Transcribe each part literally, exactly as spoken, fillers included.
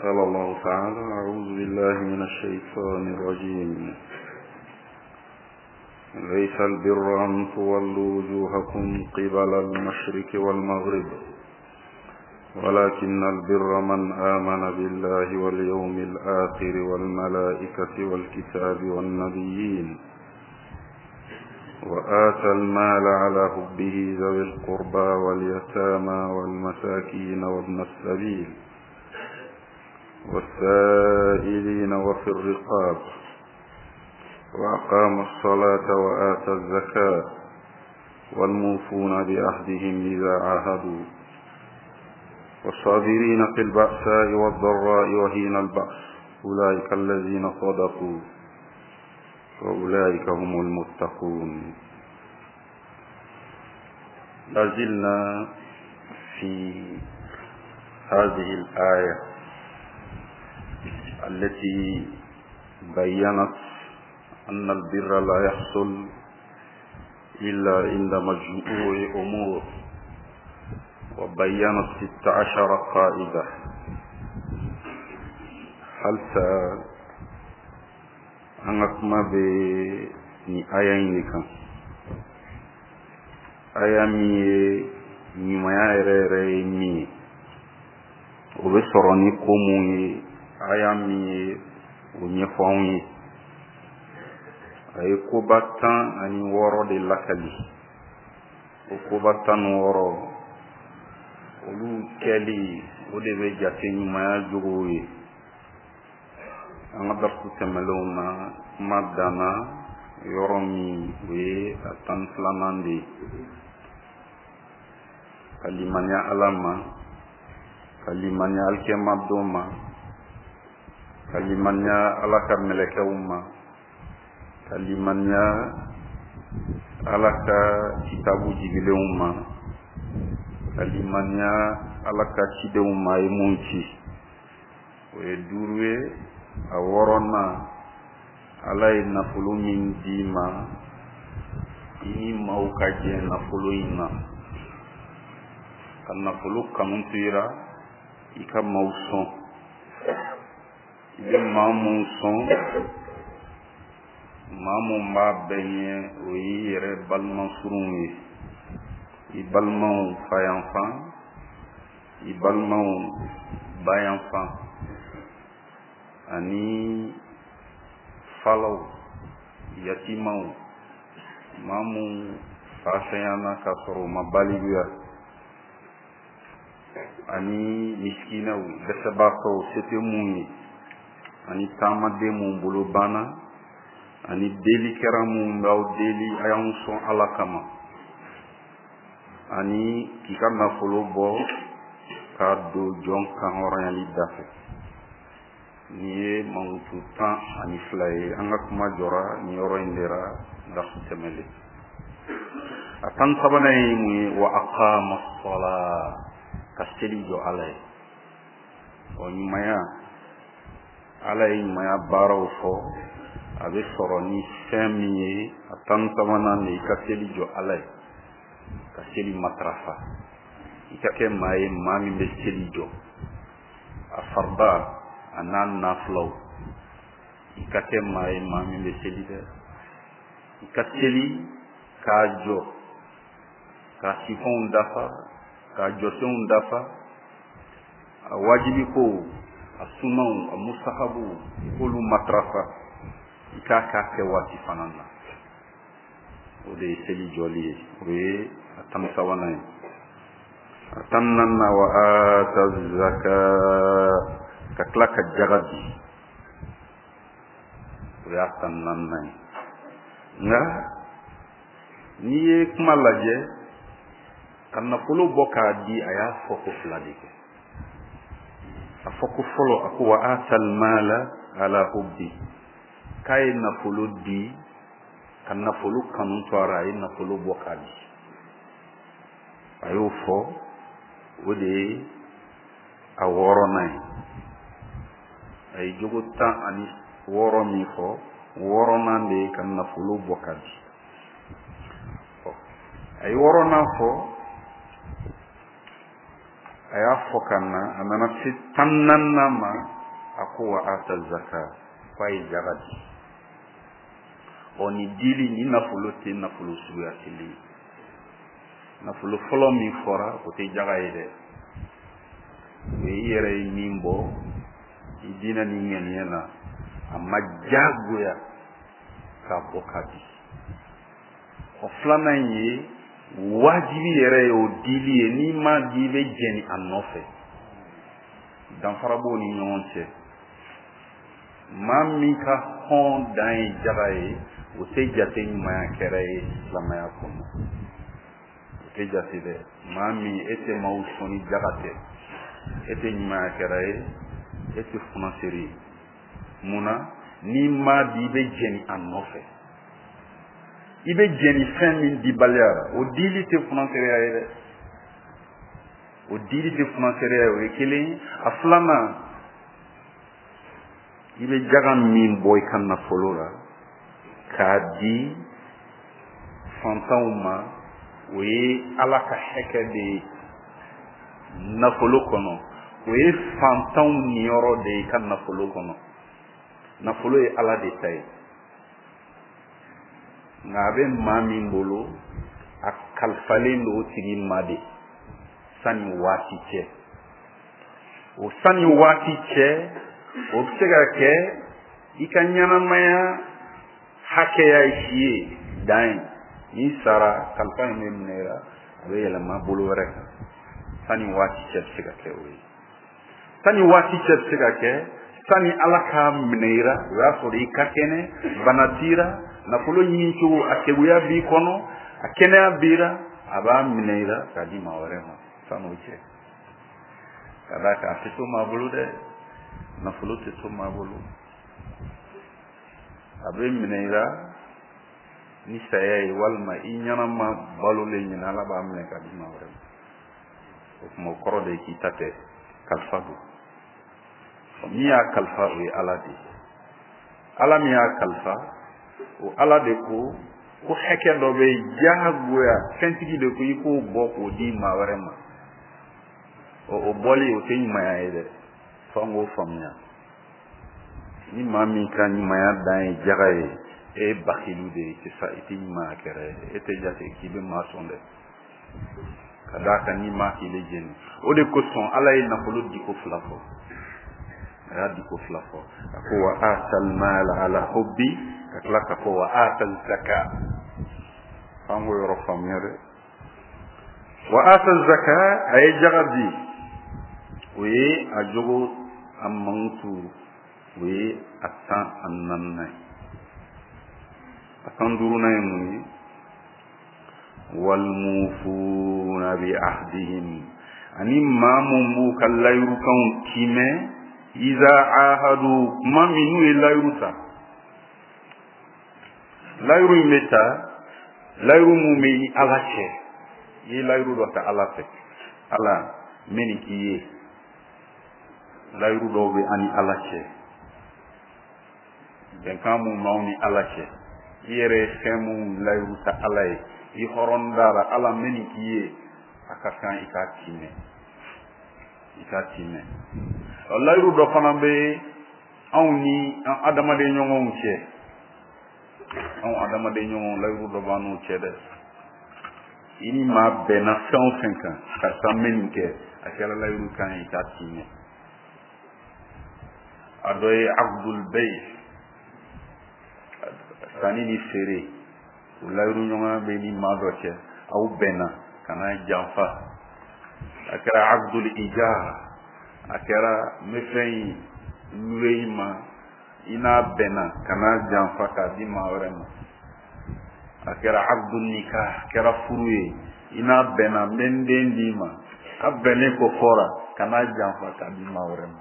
قال الله تعالى: أعوذ بالله من الشيطان الرجيم. ليس البر أن تولوا وجوهكم قبل المشرق والمغرب ولكن البر من آمن بالله واليوم الآخر والملائكة والكتاب والنبيين وآتى المال على حبه ذوي القربى واليتامى والمساكين وابن السبيل والسائلين وفي الرقاب وأقام الصلاة وآتى الزكاة والموفون بعهدهم إذا عاهدوا والصابرين في البأساء والضراء وحين البأس أولئك الذين صدقوا وأولئك هم المتقون. لازلنا في هذه الآية التي بيّنت أن البر لا يحصل إلا عند مجموع أمور، وبيّنت ست عشر قاعدة. هل an ka kuma bɛ nin aya in de kan, aya min ye ɲumanya yɛrɛ yɛrɛ ye min ye, o bɛ sɔrɔ ni ko mun ye, aya min ye o ɲɛfɔ anw ye. A ye koba tan ani wɔɔrɔ de lakali. O koba tan ni wɔɔrɔ olu kɛli, o de bɛ jate ɲumanya jogow ye. An ka darisu tɛmɛnlenw na, kuma danna yɔrɔ min, o ye a tan ni filanan de ye: ka limaniya Ala ma, ka limaniya alikiyama don ma, ka limaniya Ala ka mɛlɛkɛw ma, ka limaniya Ala ka kitabu jigilenw ma, ka limaniya Ala ka cidenw ma a ye mun ci. O ye duuru ye. A wɔɔrɔnan, Ala ye nafolo min d'i ma, i ni maaw ka jɛ nafolo in na, ka nafolo kanu to i la, i ka maaw sɔn. I bɛ maa mun sɔn, maa mun b'a bɛɛ ɲɛ, o y'i yɛrɛ balima surunw ye, i balimaw fa yanfan, i balimaw ba yanfan, ani falaw, yatimaw, maa mun fa fɛnyana k'a sɔrɔ u ma balikuya, ani misikinaw, dɛsɛbaatɔw, se tɛ mun ye, ani taamaden mun bolo banna, ani delikɛra mun b'aw deli a y'anw sɔn Ala kama, ani k'i ka nafolo bɔ k'a don jɔn kan hɔrɔnyali da fɛ. Nin ye mankutu tan ani fila ye. An ka kuma jɔra nin yɔrɔ in de la darisu tɛmɛlen. A tan ni sabanan ye mun ye? Wa aqama as-salaa, ka seli jɔ Ala ye. Ɔ ɲumanya, Ala ye ɲumanya baaraw fɔ, a bɛ sɔrɔ ni fɛn min ye, a tan ni sabanan de, i ka seli jɔ Ala ye, ka seli matarafa, i ka kɛ maa ye, maa min bɛ seli jɔ, a farida a n'a nafilaw. I ka kɛ maa ye, maa min bɛ seli dɛ, i ka seli k'a jɔ, k'a sifanw dafa, k'a jɔsenw dafa, a wajibi kow, a sunaw, a musahabuw, i k'olu matarafa, i k'a k'a kɛ waati fana na. O de ye seli jɔli ye, o ye a tan ni sabanan ye. A tan ni naaninan, wa ata zaka, ka tila ka jaga di, o y'a tan ni naaninan ye. Nka n'i ye kuma lajɛ, ka nafolo bɔ k'a di, a y'a fɔ ko fila de kɛ. A fɔ ko fɔlɔ, a ko wa atal mala ala hubbi, k'a ye nafolo di, ka nafolo kanu to a la, a ye nafolo bɔ k'a di. A y'o fɔ, o de ye a wɔɔrɔnan ye. A ye jogo tan ani wɔɔrɔ min fɔ, wɔɔrɔnan de ye ka nafolo bɔ k'a di. A ye wɔɔrɔnan fɔ, A y'a fɔ ka na, a nana se tan naaninan ma, a ko wa ata zaka, k'a ye jaga di. Ɔ nin dili ni nafolo tɛ nafolo suguya kelen ye. Nafolo fɔlɔ min fɔra o tɛ jaga ye dɛ, o ye i yɛrɛ ye min bɔ i diinɛ ni ŋaniya na, a ma diyagoya k'a bɔ k'a di. Ɔ filanan in ye wajibi yɛrɛ ye, o dili ye, n'i m'a di i bɛ jɛni a nɔfɛ. Danfara b'o ni ɲɔgɔn cɛ. Maa min ka hɔn dan ye jaga ye, o tɛ jate ɲumanya kɛra ye silamɛya kɔnɔ, o tɛ jate dɛ. Maa min e tɛ maaw sɔn ni jaga tɛ, e tɛ ɲumanya kɛra ye, e tɛ funaseere ye. Mun na? N'i m'a di i bɛ jɛni a nɔfɛ. I bɛ jɛni fɛn min dibaliya la, o dili tɛ funaseereya ye dɛ, o dili tɛ funaseereya ye, o ye kelen ye. A filanan, i bɛ jaga min bɔ i ka nafolo la k'a di fantanw ma, o ye Ala ka hakɛ de ye nafolo kɔnɔ, o ye fantanw niyɔrɔ de ye i ka nafolo kɔnɔ. Nafolo ye Ala de ta ye, nka a bɛ maa min bolo, a kalifalen don o tigi ma de sanni waati cɛ. O sanni waati cɛ, o bɛ se ka kɛ i ka ɲɛnamaya hakɛya ye si ye dan ye. N'i sara, kalifa in bɛ minɛ i la, a bɛ yɛlɛma bolo wɛrɛ kan. Sanni waati cɛ bɛ se ka kɛ o ye. Sanni waati cɛ bɛ se ka kɛ sanni Ala k'a minɛ i la, o y'a sɔrɔ i ka kɛnɛ, bana t'i la, nafolo ɲini cogo a keguya b'i kɔnɔ, a kɛnɛya b'i la, a b'a minɛ i la k'a di maa wɛrɛ ma san'o cɛ. Ka d'a kan a tɛ to maa bolo dɛ, nafolo tɛ to maa bolo. A bɛ minɛ i la ni saya ye, walima i ɲɛnama balolen ɲɛna, Ala b'a minɛ k'a di maa wɛrɛ ma. O tuma o kɔrɔ de ye k'i ta tɛ, kalifa don. Min y'a kalifa, o ye Ala de ye. Ala min y'a kalifa, o Ala de ko ko hakɛ dɔ bɛ yen diyagoya, fɛntigi de ko i k'o bɔ k'o di maa wɛrɛ ma. Ɔ o bɔli o tɛ ɲumanya ye dɛ, f'an k'o faamuya. Ni maa min ka ɲumanya dan ye jaga ye, e ye bakilu de ye, i tɛ sa, i tɛ ɲumanya kɛra ye, e tɛ jate k'i bɛ maa sɔn dɛ. Ka d'a kan n'i m'a k'i bɛ jeni. O de kosɔn Ala ye nafolo diko fila fɔ. A y'a diko fila fɔ. A ko wa atal mala ala hubbi, ka tila ka fɔ wa atal zaka. An k'o yɔrɔ faamuya dɛ. Wa atal zaka, a ye jaga di, o ye a jogo a mankutu, o ye a tan ani naaninan ye. A tan duurunan ye mun ye? Walmufuna bi ahdihim, ani maa mun b'u ka layirukanw tiimɛ, iza ahadu, kuma min n'u ye layiru ta. Layiru in bɛ ta, layiru mun bɛ i Ala cɛ, i ye layiru dɔ ta Ala fɛ, Ala n bɛ nin k'i ye. Layiru dɔw bɛ an ni Ala cɛ, bɛnkan mun b'anw ni Ala cɛ, i yɛrɛ ye fɛn mun layiru ta Ala ye, i hɔrɔn dara, Ala n bɛ nin k'i ye, a ka kan i k'a tiimɛ, i k'a tiimɛ. Layiru dɔ fana bɛ anw ni an adamaden ɲɔgɔnw cɛ, anw adamaden ɲɔgɔnw layiru dɔ b'an n'u cɛ dɛ. I ni maa bɛnna fɛn o fɛn kan, karisa n bɛ nin kɛ, a kɛra layiru kan ye, i k'a tiimɛ. A dɔ ye abdul bey, sanni ni feere, o layiru ɲɔgɔnya bɛ ni maa dɔ cɛ, aw bɛnna kana janfa. A kɛra abdul ijar, a kɛra n bɛ fɛn in luwe i ma, i n'a bɛnna kana janfa k'a di maa wɛrɛ ma. A kɛra abdul nikah, a kɛra furu ye, i n'a bɛnna n bɛ n den d'i ma, a bɛnnen ko fɔra kana janfa k'a di maa wɛrɛ ma.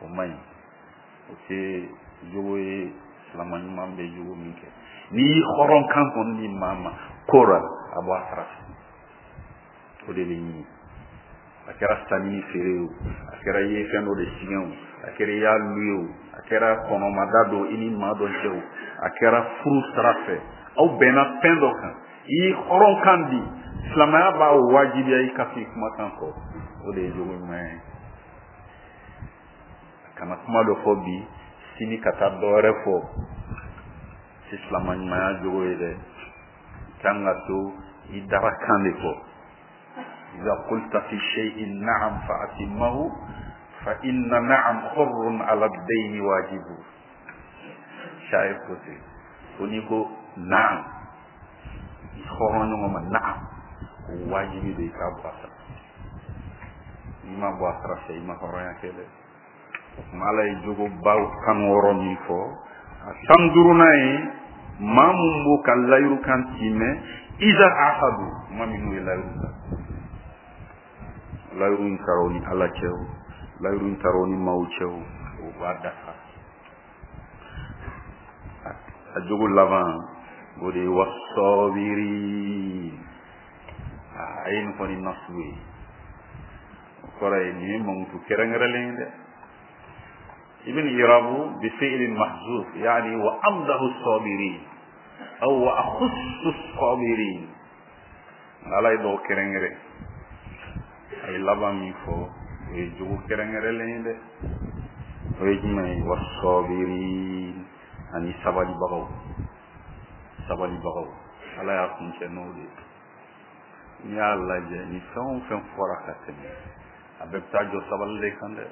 O man ɲi, o tɛ jogo ye silamɛ ɲuman bɛ jogo min kɛ. N'i y'i hɔrɔn kan kɔni di maa ma ko la, a bɔ a sara fɛ, o de bɛ ɲini. A kɛra sanni ni feere ye o, a kɛra i ye fɛn dɔ de siɲɛ o, a kɛra i y'a luye o, a kɛra kɔnɔmada don i ni maa dɔ cɛ o, a kɛra furu sira fɛ, aw bɛnna fɛn dɔ kan, i y'i hɔrɔn kan di, silamɛya b'a wajibiya i ka f'i kumakan kɔ. O de ye jogo ɲuman ye. Kana kuma dɔ fɔ bi, sini ka taa dɔ wɛrɛ fɔ, tɛ silama ɲumanya jogo ye dɛ. I kan ka to i darakan de kɔ. Iza qulta fi shay'in na'am fa atimmahu fa inna na'am hurrun ala ad-dayni wajibu. Shayr ko ten, ko n'i ko na'am, i hɔrɔn ɲɔgɔn ma na'am, o wajibi de i k'a bɔ a sara. N'i ma bɔ a sara fɛ, i ma hɔrɔnya kɛ dɛ. O tuma Ala ye jogobaw tan wɔɔrɔ min fɔ, a tan duurunan ye maa mun b'o ka layiru kan timɛ, iza ahadu, maa minnu ye layiru ta. Layiru in taara o ni Ala cɛ o, layiru in taara o ni maaw cɛ o, o b'a dafa. A jogo laban o de ye wasɔbiri. A ye nin fɔ ni nasu ye, o kɔrɔ ye nin ye mankutu kɛrɛnkɛrɛnlen ye dɛ. Ibn irabu bi fi'lin mahzuf, yani wa amdahu sabirin aw wa akhussu sabirin. Ala ye dɔw kɛrɛnkɛrɛn, a ye laban min fɔ o ye jogo kɛrɛnkɛrɛnlen ye dɛ. O ye jumɛn ye? Wasabirin, ani sabalibagaw. Sabalibagaw, Ala y'a kuncɛ n'o de ye. N'i y'a lajɛ, ni fɛn o fɛn fɔra ka tɛmɛ, a bɛɛ bɛ taa jɔ sabali de kan dɛ.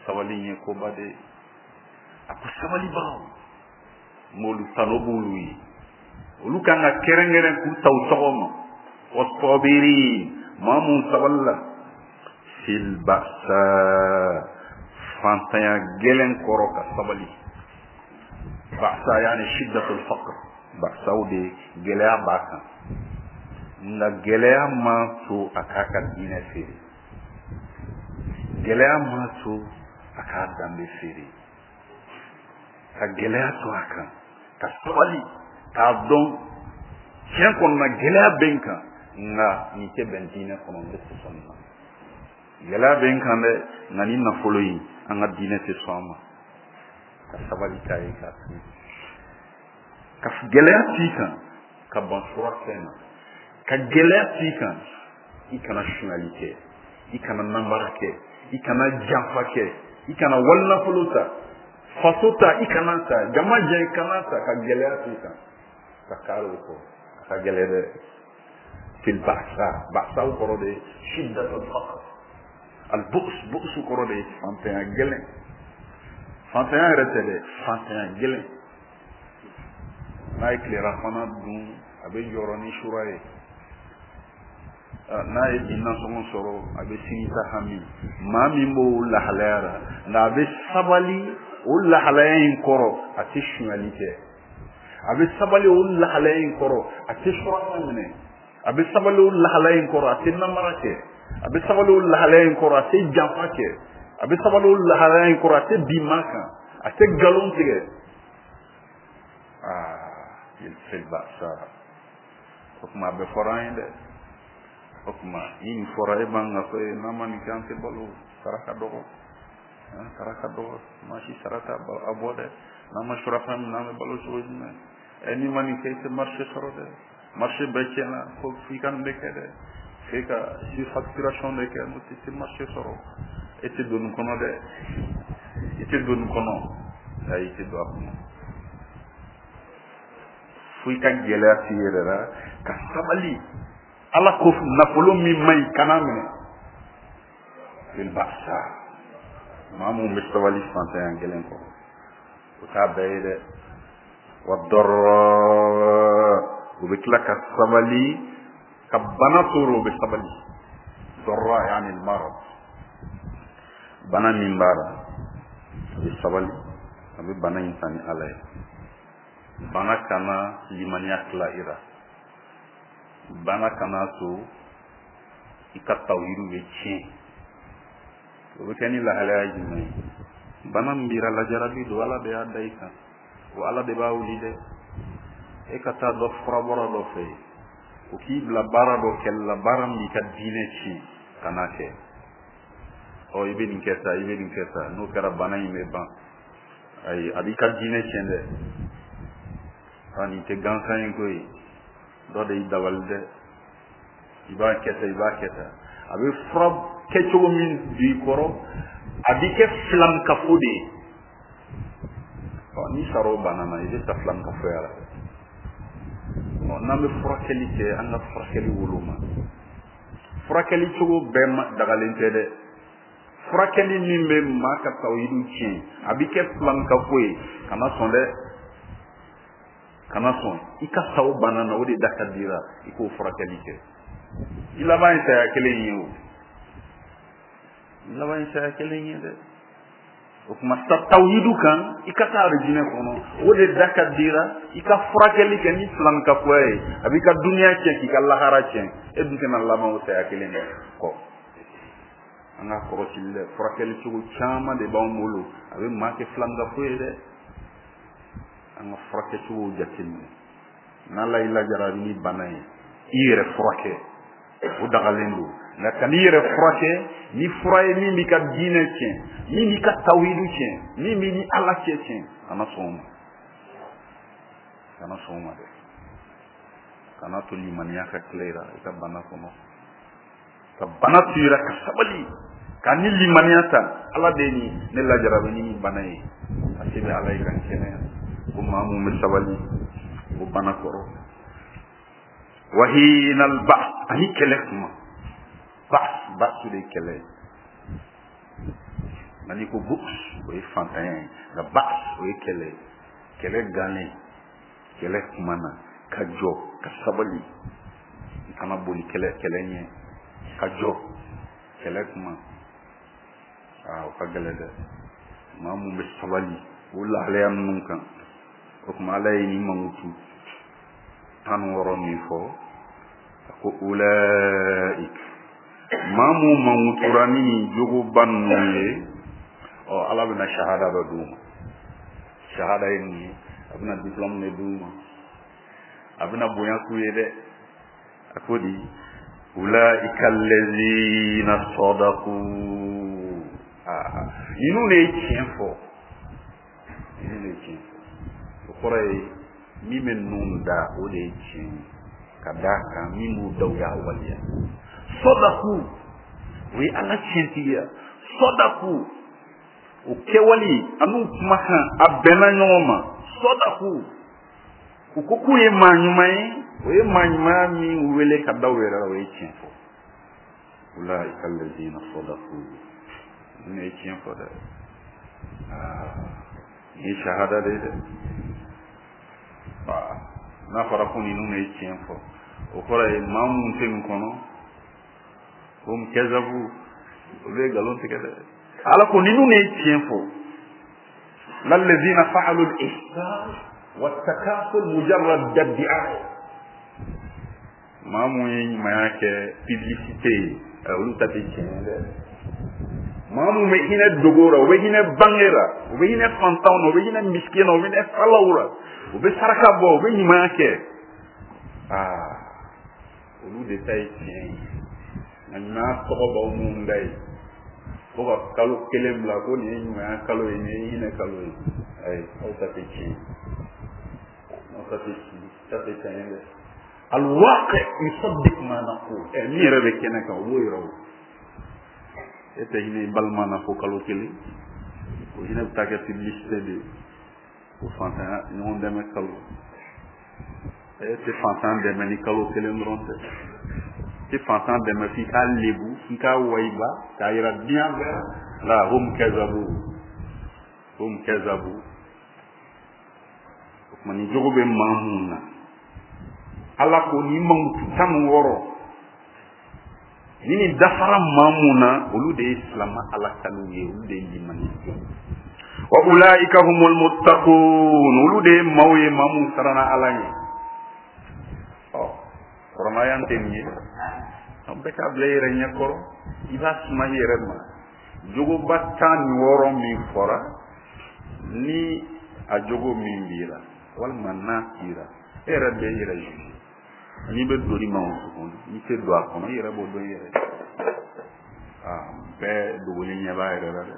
Sabali in ye koba de ye. A ko sabalibagaw, m'olu tano b'olu ye, olu kan ka kɛrɛnkɛrɛn k'u ta u tɔgɔ ma. Wasabirin, maa mun sabalila, fil ba'sa, fantanya gɛlɛn kɔrɔ ka sabali. Ba'sa yani shiddatul faqr, ba'sa o de gɛlɛya b'a kan, nka gɛlɛya ma to a k'a ka diinɛ feere, gɛlɛya ma to a k'a danbe feere, ka gɛlɛya to a kan, ka sabali, k'a dɔn tiɲɛ kɔnɔna gɛlɛya bɛ n kan, nka nin tɛ bɛn diinɛ kɔnɔ, n tɛ sɔn nin ma. Gɛlɛya bɛ n kan dɛ, nka ni nafolo in, an ka diinɛ tɛ sɔn a ma. Ka sabali k'a ye k'a to yen, ka gɛlɛya t'i kan, ka ban sura fɛn na, ka gɛlɛya t'i kan, i kana sonyali kɛ, i kana nanbara kɛ, i kana janfa kɛ, i kana walinafolo ta, faso ta i kana ta, jama jɛ i kana ta, ka gɛlɛya t'i kan, ka kari o kɔ, a ka gɛlɛ dɛ. Fil ba'sa, ba'sa kɔrɔ de shiddatul faqr, al bu's, bu's kɔrɔ de fantanya gɛlɛn. Fantanya yɛrɛ tɛ dɛ, fantanya gɛlɛn. N'a ye tilelafana dun, a bɛ jɔrɔ ni sura ye. N'a ye bi nasɔngɔ sɔrɔ, a bɛ sini ta hami. Maa min b'o lahalaya la, nka a bɛ sabali o lahalaya in kɔrɔ, a tɛ sonyali kɛ. A bɛ sabali o lahalaya in kɔrɔ, a tɛ suraka minɛ. A bɛ sabali o lahalaya in kɔrɔ, a tɛ namara kɛ. A bɛ sabali o lahalaya in kɔrɔ, a tɛ janfa kɛ. A bɛ sabali o lahalaya in kɔrɔ, a tɛ bin maa kan, a tɛ nkalon tigɛ. Aa, il fait ba'sa. O tuma a bɛɛ fɔra an ye dɛ. O tuma ni nin fɔra, e b'an ka fɔ n'an ma nin kɛ an tɛ balo, sara ka dɔgɔ, sara ka dɔgɔ, maa si sara t'a bɔ dɛ. N'an ma surafɛn minɛ, an bɛ balo cogo jumɛn? Ɛ, n'i ma nin kɛ, i tɛ marché sɔrɔ dɛ. Marché bɛɛ tiɲɛna, fo f'i ka nin de kɛ dɛ. F'e ka surfacturation de kɛ, n'o tɛ i tɛ marché sɔrɔ. E tɛ don nin kɔnɔ dɛ, i tɛ don nin kɔnɔ, ayi, i tɛ don a kɔnɔ. Fo i ka gɛlɛya t'i yɛrɛ la, ka sabali. Ala ko nafolo min man ɲi, kana minɛ. Fil ba'sa, maa mun bɛ sabali fantanya gɛlɛn kɔrɔ, o t'a bɛɛ ye dɛ. Wa darra, o bɛ tila ka sabali, ka bana tɔɔrɔ, o bɛ sabali. Darra yani al-marad, bana min b'a la, a bɛ sabali, a bɛ bana in ta ni Ala ye. Bana kana limaniya tila i la, bana kana to i ka tawhidu bɛ tiɲɛ. O bɛ kɛ ni lahalaya jumɛn ye? Bana min b'i la, lajarabi don, Ala de y'a da i kan, o Ala de b'a wuli dɛ. E ka taa dɔ furabɔra dɔ fɛ yen, o k'i bila baara dɔ kɛli la, baara min b'i ka diinɛ tiɲɛ, kan'a kɛ. Ɔ, i bɛ nin kɛ tan, i bɛ nin kɛ tan, n'o kɛra bana in bɛ ban. Ayi, a b'i ka diinɛ tiɲɛ dɛ. A nin tɛ gansan ye koyi, dɔ de y'i dabali dɛ. I b'a kɛ tan, i b'a kɛ tan. A bɛ fura kɛcogo min don i kɔrɔ, a b'i kɛ filankafo de ye. Ɔ n'i sara o bana na, i bɛ sa filankafoya la. Ɔ n'an bɛ furakɛli kɛ, an ka furakɛli woloma. Furakɛli cogo bɛɛ dagalen tɛ dɛ. Furakɛli min bɛ maa ka tawhidu tiɲɛ, a b'i kɛ filankafo ye, kana sɔn dɛ. Kana sɔn. I ka sa o bana na, o de da ka d'i la, i k'o furakɛli kɛ. I laban ye saya kelen ye o. I laban ye saya kelen ye dɛ. O tuma sa tawhidu kan, i ka taa arijinɛ kɔnɔ, o de da ka dira, i ka furakɛli kɛ ni filankafoya ye, a b'i ka duniya tiɲɛ k'i ka lahara tiɲɛ, e dun tɛna laban o saya kelen de kɔ. An ka kɔlɔsili dɛ, furakɛli cogo caman de b'anw bolo, a bɛ maa kɛ filankafo ye dɛ. An ka furakɛcogow jateminɛ. N'Ala y'i lajarabi ni bana ye, i yɛrɛ furakɛ, o dagalen don. Nka kan'i yɛrɛ furakɛ ni fura ye min b'i ka diinɛ tiɲɛ, min b'i ka tawhidu tiɲɛ, min b'i ni Ala cɛ tiɲɛ, kana sɔn o ma. Kana sɔn o ma dɛ. Kana to limaniya ka tila i la i ka bana kɔnɔ. Ka bana to i la ka sabali, ka ni limaniya ta, Ala de ye nin ne lajarabi ni nin bana ye, a se bɛ Ala ye ka n kɛnɛya. Ko maa mun bɛ sabali o bana kɔrɔ. Wahina al-ba'th, ani kɛlɛ kuma. Ba'th, ba'th de ye kɛlɛ ye. Nka n'i ko bu's, o ye fantanya ye. Nka ba'th, o ye kɛlɛ ye. Kɛlɛ gannen, kɛlɛ kuma na, ka jɔ, ka sabali. I kana boli kɛlɛ kɛlɛ ɲɛ. Ka jɔ, kɛlɛ kuma. Aa, o ka gɛlɛn dɛ. Maa mun bɛ sabali o lahalaya ninnu kan. O tuma Ala ye nin mankutu tan ni wɔɔrɔ min fɔ, a ko ulaik, maa mun mankutura ni nin jogoba ninnu ye, ɔ Ala bɛna shahada dɔ d'u ma. Shahada ye mun ye? A bɛna diplôme de d'u ma, a bɛna bonya k'u ye dɛ. A ko di, ulaika allazina sadaqu. Aa, ninnu de ye tiɲɛ fɔ. Ninnu de ye tiɲɛ fɔ. O kɔrɔ ye min bɛ ninnu da, o de ye tiɲɛ ye. Ka d'a kan min b'u da, u y'a waleya. Sadaku, o ye Ala tiɲɛtigiya. Sadaku, o kɛwale an'u kumakan a bɛnna ɲɔgɔn ma. Sadaku, u ko k'u ye maa ɲuman ye, o ye maa ɲumanya min wele ka da u yɛrɛ la, o ye tiɲɛ fɔ. Ulaika allazina sadaku, ninnu ye tiɲɛ fɔ dɛ. Aa, nin ye shahada de ye dɛ. N'a fɔra ko ninnu ye tiɲɛ fɔ, o kɔrɔ ye maa mun tɛ nin kɔnɔ, hum kazabu, olu ye nkalon tigɛ dɛ. Ala ko ninnu ye tiɲɛ fɔ. Lallazina fa'alu al-ihsan wa takaful mujarrad ad-di'aya. Maa mun ye ɲumanya kɛ publicité ye, olu ta tɛ tiɲɛ ye dɛ. Maa mun bɛ hinɛ dogo la, u bɛ hinɛ bange la, u bɛ hinɛ fantanw na, u bɛ hinɛ miskin na, u bɛ hinɛ falaw la, u bɛ saraka bɔ, u bɛ ɲumanya kɛ. Aa, olu de ta ye tiɲɛ ye. Nka ɲumanya tɔgɔ b'aw minnu da ye, ko ka kalo kelen bila ko nin ye ɲumanya kalo ye, nin ye hinɛ kalo ye, ayi, aw ta tɛ tiɲɛ ye. Aw ta tɛ tiɲɛ, ta tɛ tiɲɛ ye dɛ. Alwaqi yusaddiq ma naqul. Ɛ, min yɛrɛ bɛ kɛnɛ kan, o b'o yira o. E tɛ hinɛ i balima na fo kalo kelen, o hinɛ bɛ taa kɛ publicité de ye, o fantanya ɲɔgɔn dɛmɛ kalo. E tɛ fantan dɛmɛ ni kalo kelen dɔrɔn tɛ. I tɛ fantan dɛmɛ f'i k'a lebu, f'i k'a wayiba, k'a yira diɲɛ bɛɛ la. Hum kazabu, hum kazabu. O tuma nin jogo bɛ maa mun na, Ala ko nin mankutu tan ni wɔɔrɔ ni nin dafara maa mun na, olu de ye silamɛ Ala kanu ye, olu de ye limaniya. Wa ulaika humul muttaqun, olu de ye maaw ye, maa mun siranna Ala ɲɛ. Ɔ, kɔrɔmaya tɛ nin ye, an bɛɛ k'a bila i yɛrɛ ɲɛkɔrɔ, i b'a suma i yɛrɛ ma. Jogoba tan ni wɔɔrɔ min fɔra, ni a jogo min b'i la, walima n'a t'i la, e yɛrɛ bɛ i yɛrɛ juge. N'i bɛ don ni mankutu kɔnɔ, n'i tɛ don a kɔnɔ, i yɛrɛ b'o dɔn i yɛrɛ. Aa, bɛɛ dogolen ɲɛ b'a yɛrɛ la dɛ.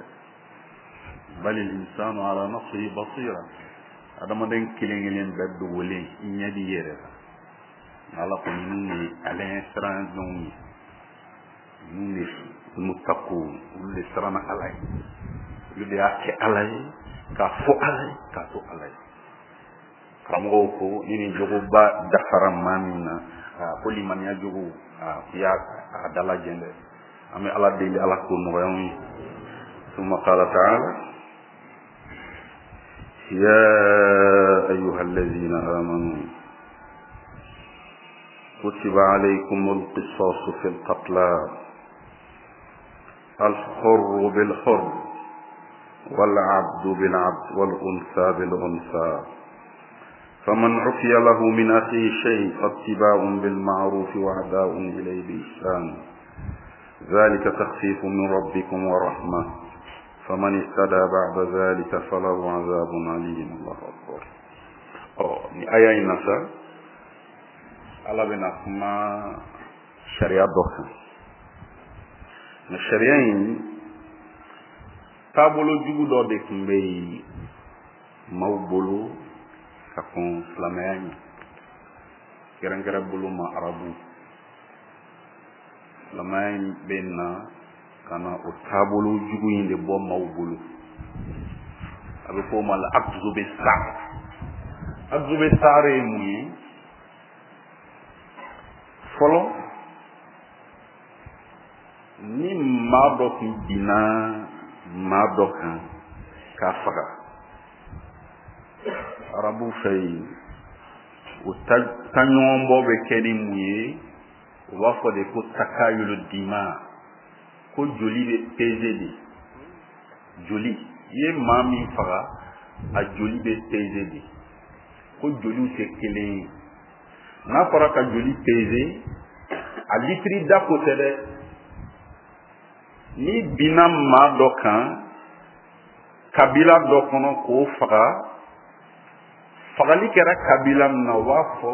Bali insanu ala nafsihi basira. Adamaden kelen kelen bɛɛ dogolen i ɲɛ b'i yɛrɛ la. Nka Ala ko ninnu ye ale ɲɛ siran jɔnw ye. Ninnu de muttaqun, olu de siranna Ala ye, olu de y'a kɛ Ala ye, k'a fɔ Ala ye, k'a to Ala ye. Karamɔgɔw ko ni nin jogoba dafara maa min na, ko limaniya jogo i y'a dalajɛ dɛ. An bɛ Ala deli Ala k'o nɔgɔya anw ye. Summa qala ta'ala ya ayyuha allazina amanu kutiba alaykumul qisasu fil qatla الحر بالحر والعبد بالعبد والأنثى بالأنثى فمن عفي له من أخيه شيء فاتباع بالمعروف وأداء إليه بإحسان ذلك تخفيف من ربكم ورحمة فمن اهتدى بعد ذلك فله عذاب أليم. الله أكبر. Ni aya in na sa, Ala bɛna kuma sariya dɔ kan. Nka sariya in taabolo jugu dɔ de tun bɛ yen maaw bolo ka kɔn silamɛya ɲɛ, kɛrɛnkɛrɛn bolo ma arabu. Silamɛya in bɛ na ka na o taabolo jugu in de bɔ maaw bolo. A bɛ fɔ o ma la akzu bɛ saar. Akzu bɛ saar ye mun ye? Fɔlɔ, ni maa dɔ tun binna maa dɔ kan k'a faga, arabu fɛ yen, o taɲɔgɔnbɔ bɛ kɛ ni mun ye? U b'a fɔ de ko takayulu dima, ko joli bɛ peze de. Joli, i ye maa min faga, a joli bɛ peze de. Ko joliw tɛ kelen ye. N'a fɔra ka joli peze, a litiri da ko tɛ dɛ. Ni binna maa dɔ kan kabila dɔ kɔnɔ k'o faga, fagali kɛra kabila min na, u b'a fɔ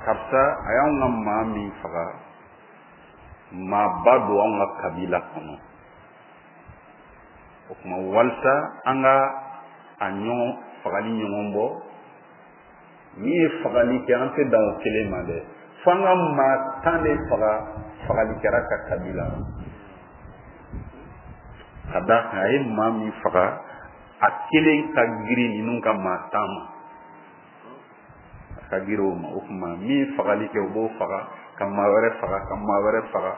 karisa a y'anw ka maa min faga, maaba don anw ka kabila kɔnɔ. O tuma walisa an ka a ɲɔgɔn fagali ɲɔgɔn bɔ, min ye fagali kɛ an tɛ dan o kelen ma dɛ, fo an ka maa tan de faga fagali kɛra ka kabila la. Ka d'a kan a ye maa min faga, a kelen ka girin ninnu ka maa tan ma, a ka girin o ma. O tuma min fagali kɛ, o b'o faga, ka maa wɛrɛ faga, ka maa wɛrɛ faga,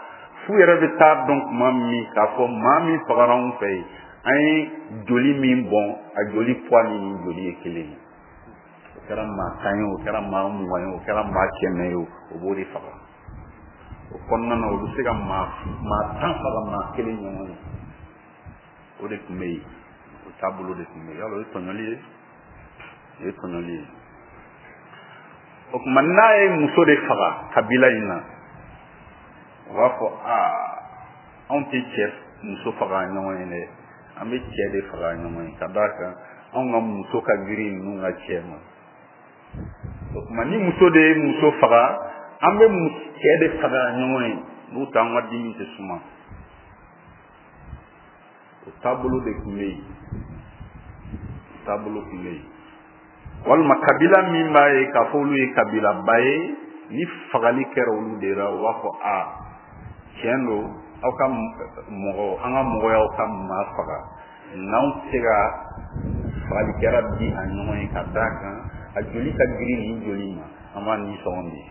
f'u yɛrɛ bɛ taa dɔn tuma min k'a fɔ maa min fagara anw fɛ yen, an ye joli min bɔn, a joli poids ni nin joli ye kelen ye. O kɛra maa tan ye, o kɛra maa mugan ye, o kɛra maa kɛmɛ ye, o b'o de faga. O kɔnɔna na, o bɛ se ka maa maa tan faga maa kelen ɲɔgɔn ye. O de tun bɛ yen, o taabolo de tun bɛ yen. Yala o ye tɔɲɔli ye? O ye tɔɲɔli ye. O tuma n'a ye muso de faga kabila in na, u b'a fɔ aa anw tɛ cɛ muso faga ɲɔgɔn ye dɛ, an bɛ cɛ de faga ɲɔgɔn ye, ka d'a kan anw ka muso ka girin ninnu ka cɛ ma. O tuma ni muso de ye muso faga, an bɛ cɛ de faga ɲɔgɔn ye, n'u tɛ an ka dimi tɛ suma. O taabolo de tun bɛ yen, o taabolo tun bɛ yen. Walima kabila min b'a ye k'a fɔ olu ye kabilaba ye, ni fagali kɛra olu de la, u b'a fɔ a tiɲɛ don, aw ka mɔgɔ, an ka mɔgɔ y'aw ka maa faga, n'anw tɛ se ka fagali kɛra bi a ɲɔgɔn ye, ka d'a kan a joli ka girin nin joli ma, an b'a nisɔngɔ di.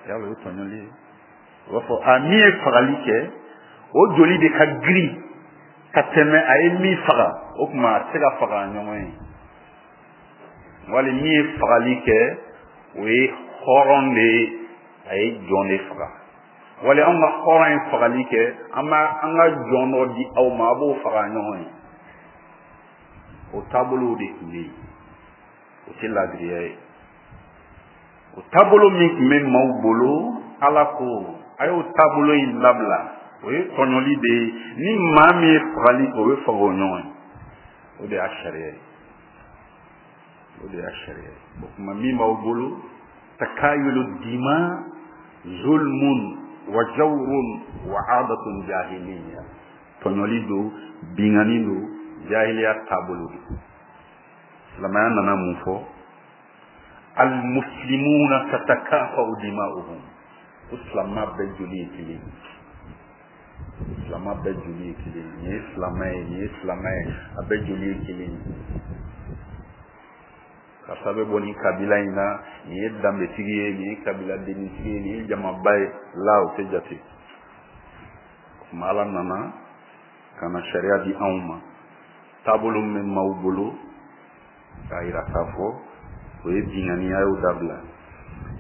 Yala o ye tɔɲɔli ye? U b'a fɔ a min ye fagali kɛ, o joli de ka girin ka tɛmɛ a ye min faga, o tuma a tɛ se ka faga a ɲɔgɔn ye. Wali min ye fagali kɛ, o ye hɔrɔn de ye, a ye jɔn de faga. Wali anw ka hɔrɔn ye fagali kɛ, an b'a an ka jɔn dɔ di aw ma, a b'o faga ɲɔgɔn ye. O taabolow de tun bɛ yen, o tɛ laadiriya ye. O taabolo min tun bɛ maaw bolo, Ala ko a y'o taabolo in labila, o ye tɔɲɔli de ye. Ni maa min ye fagali kɛ, o bɛ faga o ɲɔgɔn ye. O de y'a sariya ye, o de y'a sariya ye. O tuma min b'aw bolo, takayulu dima zulmun wa jawrun wa adatun jahiliya, tɔɲɔli don, binkanni don, jahiliya taabolo don. Silamɛya nana mun fɔ? Almuslimuna tatakafa'u dima'uhum. Ko silamɛ bɛɛ joli ye kelen ye, silamɛ bɛɛ joli ye kelen ye, nin ye silamɛ ye, nin ye silamɛ ye, a bɛɛ joli ye kelen ye. Karisa bɛ bɔ nin kabila in na, nin ye danbetigi ye, nin ye kabila dennitigi ye, nin ye jamaba ye, la o tɛ jate. O tuma Ala nana ka na sariya di anw ma, taabolo min bɛ maaw bolo k'a yira k'a fɔ o ye binkanni ye, a y'o dabila.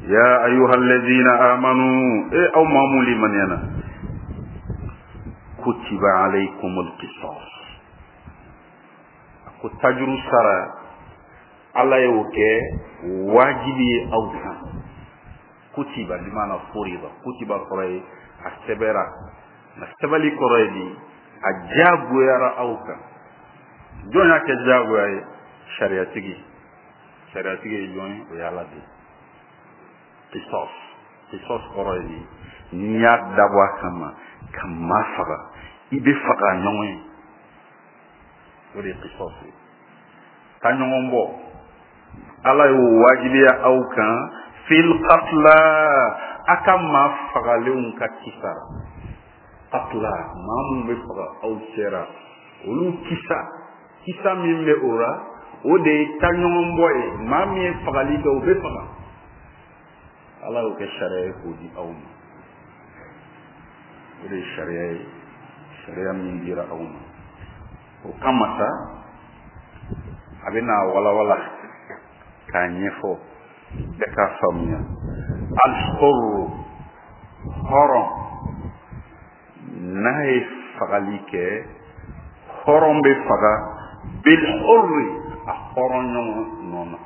Ya ayyuhallazina amanu, e aw maa mun limaniyana, kutiba alaykumul qisas, a ko tajuru sara Ala y'o kɛ wajibi ye aw kan. Kutiba bimaana furida, kutiba kɔrɔ ye a sɛbɛra, nka sɛbɛli kɔrɔ ye di, a diyagoyara aw kan. Jɔn y'a kɛ diyagoya ye? Sariyatigi. Sariyatigi ye jɔn ye? O ye Ala de ye. Qisas, qisas kɔrɔ ye di, n'i y'a dabɔ a kama ka maa faga, i bɛ faga ɲɔgɔn ye, o de ye qisas ye. Ka ɲɔgɔn bɔ, Ala y'o wajibiya aw kan fil qatla, a ka maa fagalenw ka kisa. Qatla, maa minnu bɛ faga aw cɛra, olu kisa, kisa min bɛ o la, o de ye ta ɲɔgɔn bɔ ye. Maa min ye fagali kɛ, o bɛ faga. Ala y'o kɛ sariya ye k'o di aw ma. O de ye sariya ye, sariya min dira aw ma. O kama sa, a bɛ n'a walawala k'a ɲɛfɔ bɛɛ k'a faamuya. Al-hurru, hɔrɔn n'a ye fagali kɛ, hɔrɔn bɛ faga bil hurri, a hɔrɔn ɲɔgɔn nɔ na.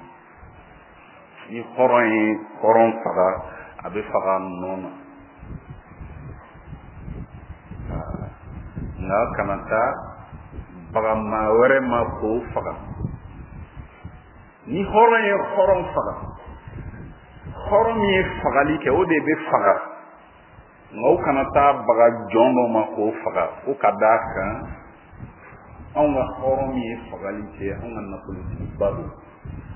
Ni hɔrɔn ye hɔrɔn faga, a bɛ faga nɔ na. Nka kana taa baga maa wɛrɛ ma k'o faga. Ni hɔrɔn ye hɔrɔn faga, hɔrɔn min ye fagali kɛ, o de bɛ faga. Nka o kana taa baga jɔn dɔ ma k'o faga, o ka d'a kan anw ka hɔrɔn min ye fagali kɛ, anw ka nafolotigiba don,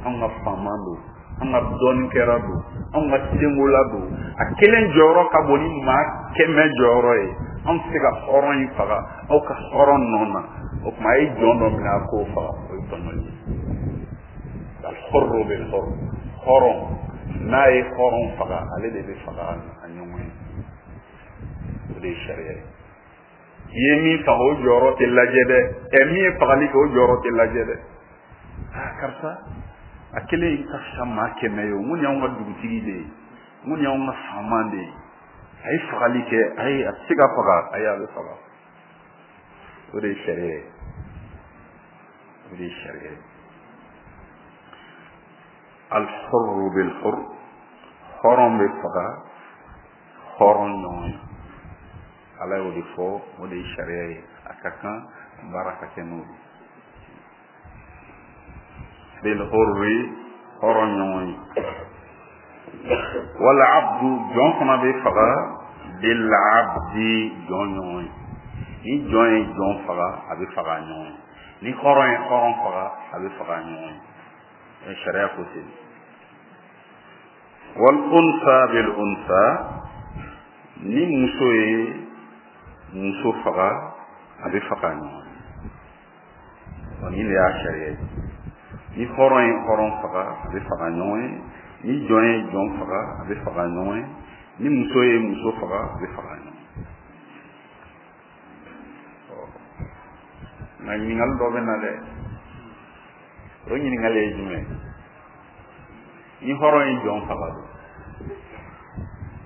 anw ka faama don, anw ka dɔnnikɛla don, anw ka senkola don. A kelen jɔyɔrɔ ka bon ni maa kɛmɛ jɔyɔrɔ ye. Anw tɛ se ka hɔrɔn in faga aw ka hɔrɔn nɔ na. O tuma a ye jɔn dɔ minɛ a k'o faga, o ye tɔɲɔli ye. Al-hurru bil-hurr, hɔrɔn n'a ye hɔrɔn faga, ale de bɛ faga a ɲɔgɔn ye. O de ye sariya ye. I ye min faga, o jɔyɔrɔ tɛ lajɛ dɛ. Ɛ min ye fagali kɛ, o jɔyɔrɔ tɛ lajɛ dɛ. Aa karisa, a kelen ka fisa maa kɛmɛ ye o. Mun y'anw ka dugutigi de ye, mun y'anw ka faama de ye. A ye fagali kɛ, ayi a tɛ se ka faga, ayi a bɛ faga. O de ye sariya ye. O de ye sariya ye. Al-hurru bil-hurr, hɔrɔn bɛ faga hɔrɔn ɲɔgɔn ye. Ala y'o de fɔ, o de ye sariya ye. A ka kan baara ka kɛ n'o ye. Bil-hurri, hɔrɔn ɲɔgɔn ye. Wal abdu, jɔn fana bɛ faga bil-abdi, jɔn ɲɔgɔn ye. Ni jɔn ye jɔn faga, a bɛ faga ɲɔgɔn ye. Ni hɔrɔn ye hɔrɔn faga, a bɛ faga ɲɔgɔn ye. Sariya ko ten. Wal unsa bil unsa, ni muso ye muso faga, a bɛ faga ɲɔgɔn ye. Nin de y'a sariya ye. Ni hɔrɔn ye hɔrɔn faga, a bɛ faga ɲɔgɔn ye. Ni jɔn ye jɔn faga, a bɛ faga ɲɔgɔn ye. Ni muso ye muso faga, a bɛ faga ɲɔgɔn ye. Nka ɲininkali dɔ bɛ na dɛ. O ɲininkali ye jumɛn ye? Ni hɔrɔn ye jɔn faga don,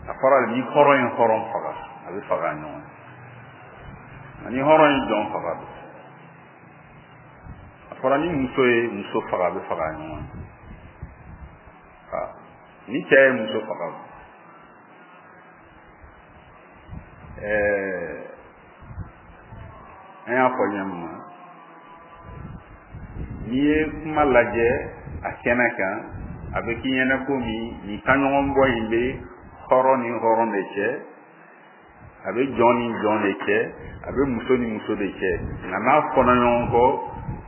a fɔra ni hɔrɔn ye hɔrɔn faga, a bɛ faga ɲɔgɔn ye. Nka ni hɔrɔn ye jɔn faga don, a fɔra ni muso ye muso faga, a bɛ faga ɲɔgɔn ye. Ni cɛ ye muso faga don, ɛɛ an y'a fɔ ɲɛ min na, n'i ye kuma lajɛ a kɛnɛ kan, a bɛ k'i ɲɛna komi nin taɲɔgɔnbɔ in bɛ hɔrɔn ni hɔrɔn de cɛ, a bɛ jɔn ni jɔn de cɛ, a bɛ muso ni muso de cɛ. Nka n'a fɔra ɲɔgɔn kɔ,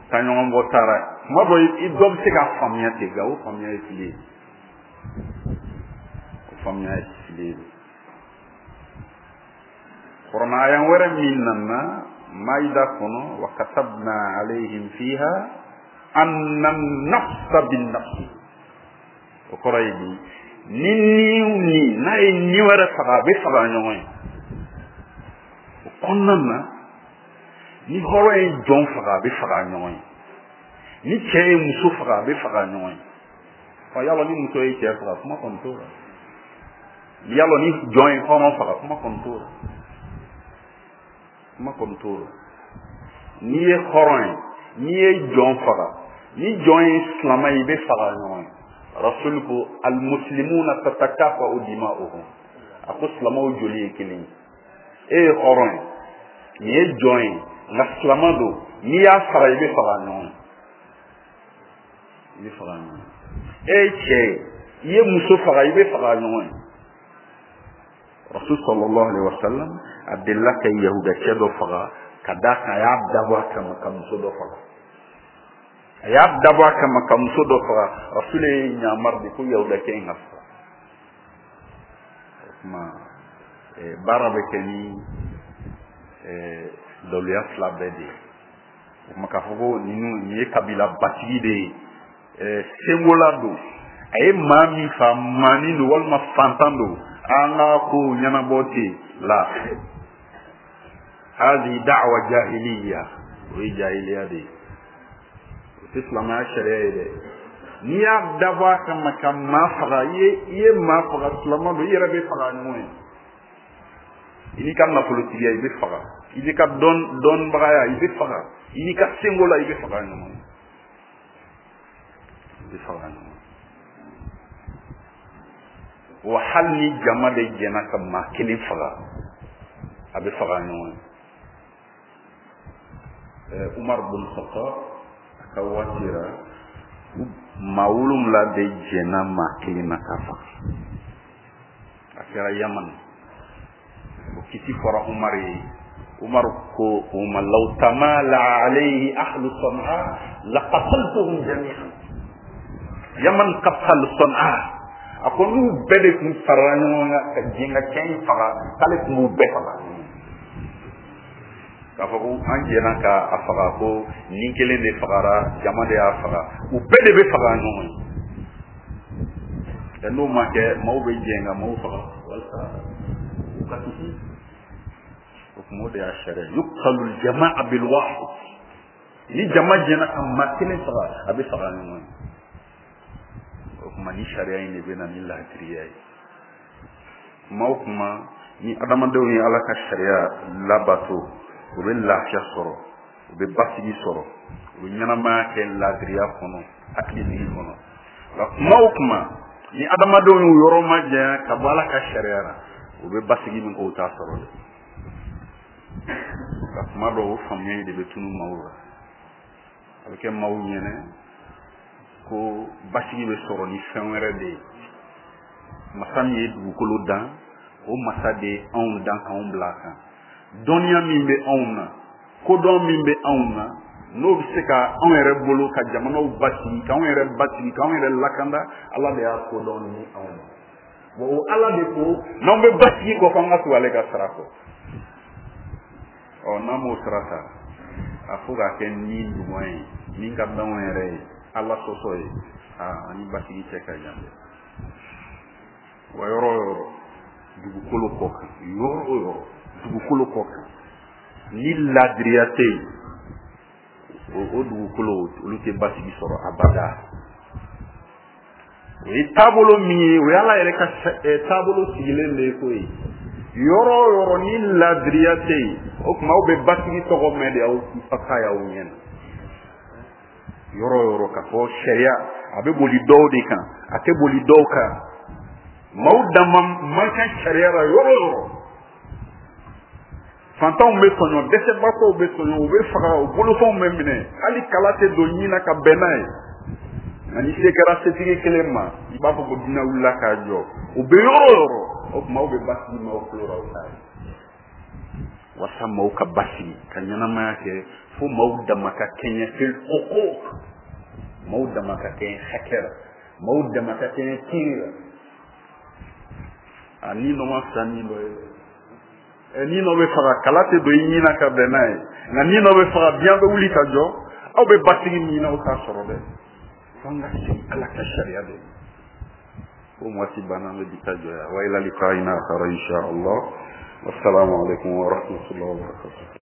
taɲɔgɔnbɔ taara. Kuma dɔ i dɔ bɛ se k'a faamuya ten, nka o faamuya ye fili ye. O faamuya ye fili ye. Kuranɛ aya wɛrɛ min nana Maida kɔnɔ, wa katabna alayhim fiha anna an-nafsa bin-nafsi. O kɔrɔ ye di, ni ni ni n'a ye ni wɛrɛ faga, a bɛ faga ɲɔgɔn ye. O kɔnɔna na, ni hɔrɔn ye jɔn faga, a bɛ faga ɲɔgɔn ye. Ni cɛ ye muso faga, a bɛ faga ɲɔgɔn ye. Ɔ yalɔ ni muso ye cɛ faga, kuma kɔni t'o la. Yalɔ ni jɔn ye hɔrɔn faga, kuma kɔni t'o la. Kuma kɔni t'o la. N'i ye hɔrɔn ye, n'i ye jɔn faga, ni jɔn ye silamɛ ye, i bɛ faga ɲɔgɔn ye. Rasul ko almuslimuna tatakafa'u dima'uhum. A ko silamɛw joli ye kelen ye. E ye hɔrɔn ye, nin ye jɔn ye, nka silamɛ don, n'i y'a faga i bɛ faga ɲɔgɔn ye. I bɛ faga ɲɔgɔn ye. E ye cɛ ye, i ye muso faga, i bɛ faga ɲɔgɔn ye. Rasul sallallahu alaihi wasallam a delila ka yahuda cɛ dɔ faga ka d'a kan a y'a dabɔ a kama ka muso dɔ faga. A y'a dabɔ a kama ka muso dɔ faga. Rasul ye ɲamari de ko yahuda cɛ in ka faga. O tuma baara bɛ kɛ ni daluya fila bɛɛ de ye. O tuma k'a fɔ ko ninnu nin ye kabila batigi de ye, sengola don, a ye maa min fa maanin don walima fantan don, an ka ko ɲɛnabɔ ten la. Hadi da'wa jahiliya, o ye jahiliya de ye, o tɛ silamɛya sariya ye dɛ. N'i y'a dabɔ a kama ka maa faga, i ye i ye maa faga, silamɛ don, i yɛrɛ bɛ faga ɲɔgɔn ye. I n'i ka nafolotigiya i bɛ faga, i n'i ka dɔn dɔnnibagaya i bɛ faga, i n'i ka sengola i bɛ faga ɲɔgɔn ye. I bɛ faga ɲɔgɔn ye. Wa hali ni jama de jɛnna ka maa kelen faga, a bɛ faga ɲɔgɔn ye. Umar bin Khattab a ka waati la, maa wolonwula de jɛnna maa kelen na k'a faga. A kɛra Yaman. O kiti fɔra Umar ye. Umar ko o ma law tamala alayhi ahlu San'a laqataltuhum jami'an. Yaman qatal San'a. A ko n'u bɛɛ de tun farala ɲɔgɔn kan ka jɛn ka cɛ in faga, k'ale tun b'u bɛɛ faga. K'a fɔ ko an jɛnna ka a faga, ko nin kelen de fagara, jama de y'a faga, u bɛɛ de bɛ faga ɲɔgɔn ye. Ɛ n'o ma kɛ, maaw bɛ jɛn ka maaw faga walasa u ka kisi. O tuma o de y'a sariya. Yuqtalu al-jama'a bil wahid. Ni jama jɛnna ka maa kelen faga, a bɛ faga ɲɔgɔn ye. O tuma ni sariya in de bɛ na ni laadiriya ye. Kuma o kuma ni adamadenw ye Ala ka sariya labato, u bɛ lafiya sɔrɔ, u bɛ basigi sɔrɔ, u bɛ ɲɛnamaya kɛ laadiriya kɔnɔ, hakilisigi kɔnɔ. Nka kuma o kuma ni adamadenw y'u yɔrɔ majanya ka bɔ Ala ka sariya la, u bɛ basigi min kɛ, u t'a sɔrɔ dɛ. Nka kuma dɔw o faamuya in de bɛ tunun maaw la. A bɛ kɛ maaw ɲɛnɛ ko basigi bɛ sɔrɔ ni fɛn wɛrɛ de ye. Masa min ye dugukolo dan, o masa de ye anw dan k'anw bila a kan. Dɔnniya min bɛ anw na, kodɔn min bɛ anw na, n'o bɛ se ka anw yɛrɛ bolo ka jamanaw basigi, k'anw yɛrɛ basigi, k'anw yɛrɛ lakanda, Ala de y'a kodɔn ni anw ma. Wa o Ala de ko n'anw bɛ basigi kɔ, k'an ka tugu ale ka sira kɔ. Ɔ n'an m'o sira ta, a fo k'a kɛ ni ɲuman ye, min ka d'anw yɛrɛ ye, Ala sɔsɔ ye, aa ani basigi cɛ ka jan dɛ. Wa yɔrɔ o yɔrɔ dugukolo kɔ kan, yɔrɔ o yɔrɔ dugukolo kɔ kan, ni laadiriya tɛ yen, o dugukolo olu tɛ basigi sɔrɔ abada. O ye taabolo min ye, o ye Ala yɛrɛ ka taabolo sigilen de ye ko ye. Yɔrɔ o yɔrɔ ni laadiriya tɛ yen, o tuma aw bɛ basigi tɔgɔ mɛn de, aw ta y'aw ɲɛ na. Yɔrɔ o yɔrɔ k'a fɔ sariya a bɛ boli dɔw de kan, a tɛ boli dɔw kan. Maaw dama man kan sariya la yɔrɔ o yɔrɔ. Fantanw bɛ tɔɲɔ, dɛsɛbaatɔw bɛ tɔɲɔ, u bɛ faga, u bolofɛnw bɛ minɛ, hali kala tɛ don ɲin na ka bɛn n'a ye. Nka ni se kɛra setigi kelen ma, i b'a fɔ ko dunan wulila k'a jɔ. O bɛ yɔrɔ o yɔrɔ, o tuma aw bɛ basigi maaw tulo la aw t'a ye. Walasa maaw ka basigi ka ɲɛnamaya kɛ, fo maaw dama ka kɛɲɛ fil huquq, maaw dama ka kɛɲɛ hakɛ la, maaw dama ka kɛɲɛ kiiri la. A ni dɔ ma fisa ni dɔ ye. Ni nɔ bɛ faga, kala tɛ don i ɲin na ka bɛn n'a ye, nka ni nɔ bɛ faga, diɲɛ bɛ wuli ka jɔ. Aw bɛ basigi min na, aw t'a sɔrɔ dɛ. F'an ka segin Ala ka sariya de ma. Ko waati banna, an bɛ bi ta jɔ yan. Wa ila liqa'ina akhara insha Allah. Wassalamu alaikum wa rahmatullahi wa barakatuh.